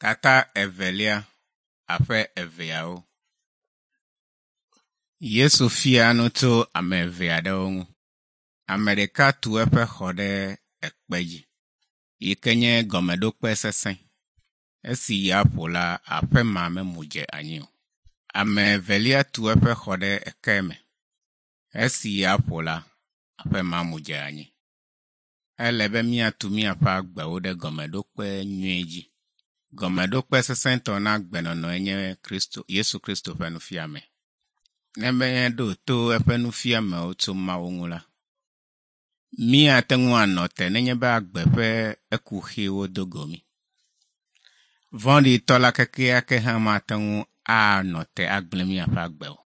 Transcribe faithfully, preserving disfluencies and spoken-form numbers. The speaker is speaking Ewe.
Tata evelia aƒe eveawo. Yesu fia nu tso ame eve aɖewo ŋu. Ame ɖeka tu eƒe xɔ ɖe ekpe dzi yi ke nye gɔmeɖokpe sesẽ. Esi ya ƒo la, aƒe ma memu dze anyi o. Ame evelia tu eƒe xɔ ɖe eke me. Esi ya ƒo la, aƒe ma mu dze anyi. Ele be míatu míaƒe agbewo ɖe gɔmeɖokpe nyui dzi. Gɔmeɖokpe sesẽtɔ na agbenɔnɔe nye Kristo Yesu Kristo ƒe nufiame. Ne míeɖo to eƒe nufiamewo tso Mawu ŋu la, míate ŋu anɔ te nenye be agbe ƒe ekuxiwo do go mí. Vɔ̃ɖitɔ la kekeake hã mate ŋu anɔ te agblẽ míaƒe agbe o.